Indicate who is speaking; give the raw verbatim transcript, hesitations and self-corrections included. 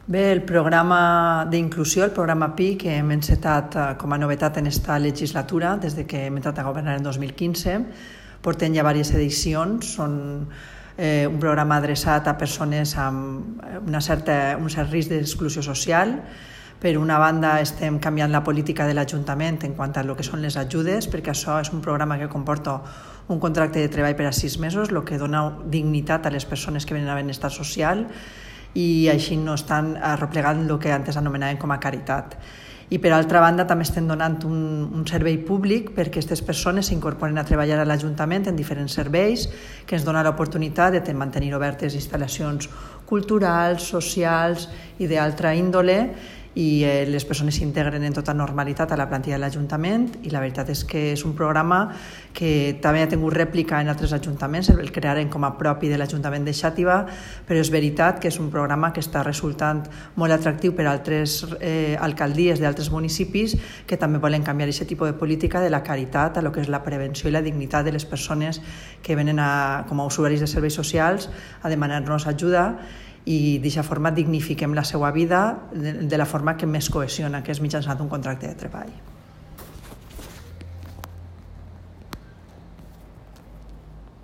Speaker 1: Bé, el programa d'inclusió, el programa P I, que hem encetat com a novetat en esta legislatura, des de que hem entrat a governar en dos mil quinze, portem ja diverses edicions, són eh, un programa adreçat a persones amb una certa, un cert risc d'exclusió social. Per una banda, estem canviant la política de l'Ajuntament en quant a lo que són les ajudes, perquè això és un programa que comporta un contracte de treball per a sis mesos, el que dona dignitat a les persones que venen a benestar social i així no estan arreplegant el que antes anomenàvem com a caritat. I per altra banda també estem donant un, un servei públic perquè aquestes persones s'incorporen a treballar a l'Ajuntament en diferents serveis que ens dona l'oportunitat de mantenir obertes instal·lacions culturals, socials i d'altra índole, i eh, les persones s'integren en tota normalitat a la plantilla de l'Ajuntament, i la veritat és que és un programa que també ha tingut rèplica en altres ajuntaments, el crearen com a propi de l'Ajuntament de Xàtiva, però és veritat que és un programa que està resultant molt atractiu per a altres eh, alcaldies d'altres municipis que també volen canviar aquest tipus de política de la caritat a lo que és la prevenció i la dignitat de les persones que venen a, com a usuaris de serveis socials a demanar-nos ajuda, i d'aquesta forma dignifiquem la seva vida de la forma que més cohesiona, que és mitjançant un contracte de treball.